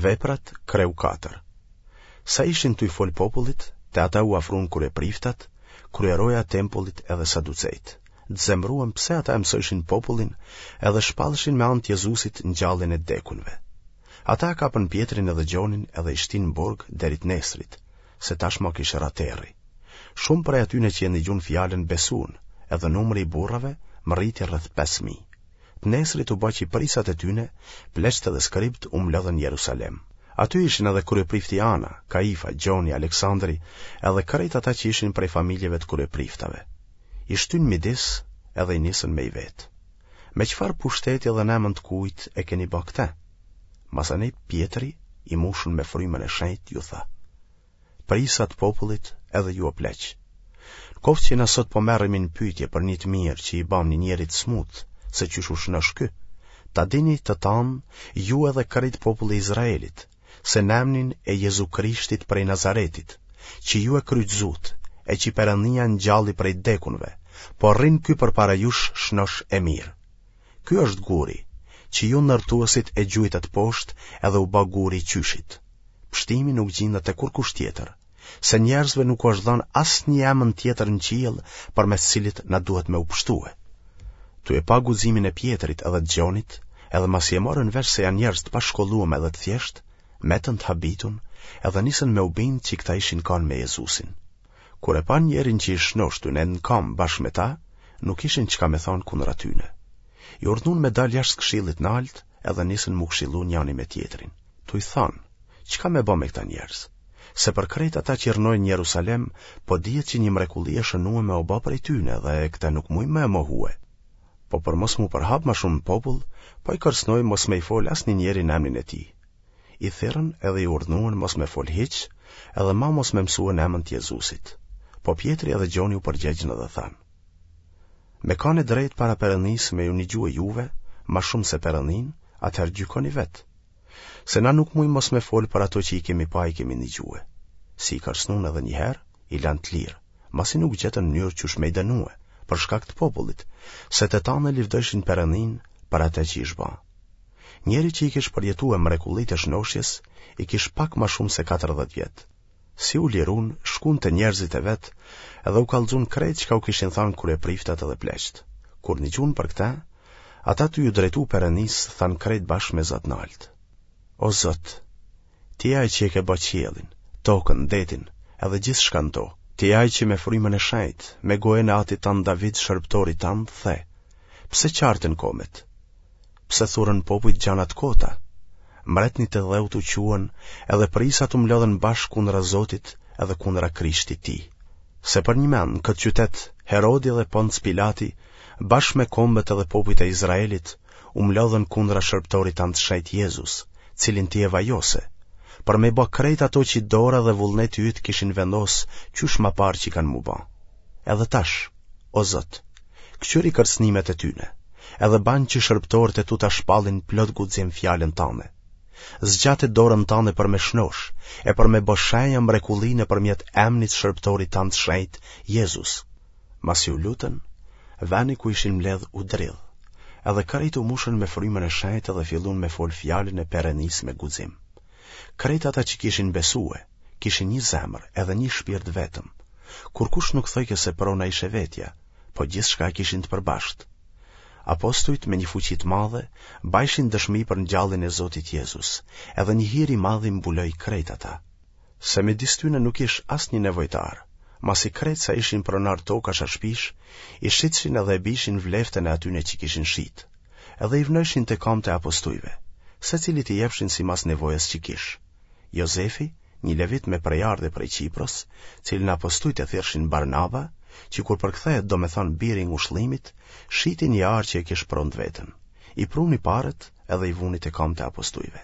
Veprat, kreu 4. Sa ishin tuj fol popullit, te ata u afrun kryepriftat, kryeroja e tempullit edhe saducejt. Të zemruem pse ata e mësojshin popullin edhe shpallshin me anë të Jezusit ngjalljen e t'dekunve. Ata e kapën Pjetrin edhe Gjonin edhe i shtinë në burg deri të nesrit, se tashma kish ra terri. Shumë prej atyne që e nigjun fjalën besun, edhe numri i burrave mrriti rreth 5000. Të nesrit u ba që prijsat e tyne, pleqtë dhe skribët u mblodhën në Jerusalem. Aty ishin edhe kryeprifti Ana, Kaifa, Gjoni, Aleksandri, edhe krejt ata që ishin prej familjeve të kryepriftave. I shtynë midis edhe i nisën me i vetë. Me çfarë pushteti dhe në emën të kujt e keni ba këtë? Masanej Pjetri, i mushun me frymën e shenjtë, ju tha. Prijsa të popullit edhe ju o pleq. Në koftë që na sot po merremi në pyetje për një të mirë që i bamë një njeri të smutë, se qysh u shnosh ky, ta dini të tanë ju edhe krejt populli i Izraelit, se në emnin e Jezu Krishtit prej Nazaretit, që ju e kryqëzutë, e që Perëndia ngjalli prej t'dekunve, po rrin ky përpara jush shnosh e mirë. Ky është guri, që ju ndërtuesit e gjujtët poshtë edhe u ba guri i qyshit. Pshtimi nuk gjindet te kurkush tjetër, se njerëzve nuk u është dhanë asnjë emën tjetër në qiell përmes cilit na duhet me u pshtue. Tu e pa guximin e Pjetrit edhe të Gjonit, edhe masi e morën vesh se janë njerëz të pashkolluem edhe të thjeshtë, metën të habitun edhe nisën me u bind që këta ishin kanë me Jezusin. Kur e panë njerin që ish shnosh tu nejt në kamë bashkë me ta, nuk kishin çka me thanë kundra tyne. I urdhnun me dalë jashtë këshillit naltë edhe nisën m'u këshillu njani me tjetrin. Tuj thanë, çka me ba me këta njerëz? Se për krejt ata që rrnojnë në Jerusalem, po dihet që një mrekulli e shënueme u ba prej tyne dhe këtë nuk mujmë me e mohue. Po për mos m'u përhap ma shumë në popull, po i kërcnojmë mos me i fol asnjë njeri në emnin e tij. I thirrën edhe i urdhnuan mos me fol hiç, edhe ma mos me mësue në emën të Jezusit. Po Pjetri edhe Gjoni u përgjegjën edhe thanë: Me kanë e drejtë para Perëndisë me ju nigjue juve, ma shumë se Perëndinë, atëherë gjykoni vetë. Se na nuk mujmë mos me folë për ato që i kemi pa i kemi nigjue. Si i kërcnun edhe një herë, i lanë të lirë, masi nuk gjetën mënyrë qysh me i dënue, për shkak të popullit, se të tanë e livdojshin Perëndinë për atë që ish ba. Njeri që i kish përjetue mrekullitë e shnoshjes, i kish pak ma shumë se 40 vjet. Si u lirun, shkun te njerëzit e vet, edhe u kallxun krejt çka u kishin thanë kryepriftat edhe pleqtë. Kur nigjun për këtë, ata tu ju drejtu Perëndisë thanë krejt bashkë me za t'naltë. O Zot, ti je ai që e ke ba qiellin, tokën, detin, edhe gjithçka në to. Ti je ai që me frymën e shenjtë, me gojën e atit tand David, shërbëtorit tand, the: Pse çartën kombet? Pse thurën popujt gjana të kota? Mbretnit e dheut u çuen, edhe prijsat u mblodhën bashkë kundra Zotit edhe kundra Krishtit tij. Se përnjëmend në këtë qytet Herodi dhe Ponc Pilati, bashkë me kombet edhe popujt e Izraelit, u mblodhën kundra shërbëtorit tand të shenjtë Jezus, cilin ti e vajose, për me ba krejt ato që dora dhe vullneti yt kishin vendos qysh ma parë që kanë m'u ba. Edhe tash, o Zot, këqyri kërcënimet e tyne, edhe ban që shërbëtorët e tu ta shpallin plot guxim fjalën tande. Zgjate dorën tande për me shnosh, e për me bo shenja mrekulli nëpërmjet emnit shërbëtorit tand të shenjtë, Jezus. Masi u lutën, veni ku ishin mbledh u dridh, edhe krejt u mushën me frymën e shenjtë dhe fillun me fol fjalën e Perëndisë me guxim. Krejt ata që kishin besue, kishin një zemër edhe një shpirt vetëm. Kurkush nuk thojke se prona ish e vetja, po gjithçka e kishin të përbashkët. Apostujt me një fuqi të madhe bajshin dëshmi për ngjalljen e Zotit Jezus, edhe një hir i madh i mbuloi krejt ata. Se midis tyne nuk ish asnjë nevojtar, masi krejt sa ishin pronarë tokash a shpish, i shitshin edhe e bijshin vleftën e atyne që kishin shit, edhe i vnojshin te kamët e apostujve, secilit i jepshin simas nevojës që kish. Jozefi, një levit me prejardhje prej Qipros, cilin apostujt e thirrshin Barnaba, që kur përkthehet do me thanë biri i ngushllimit, shiti një arë që e kish pronë të vetën. I pruni paret edhe i vuni te kamët e apostujve.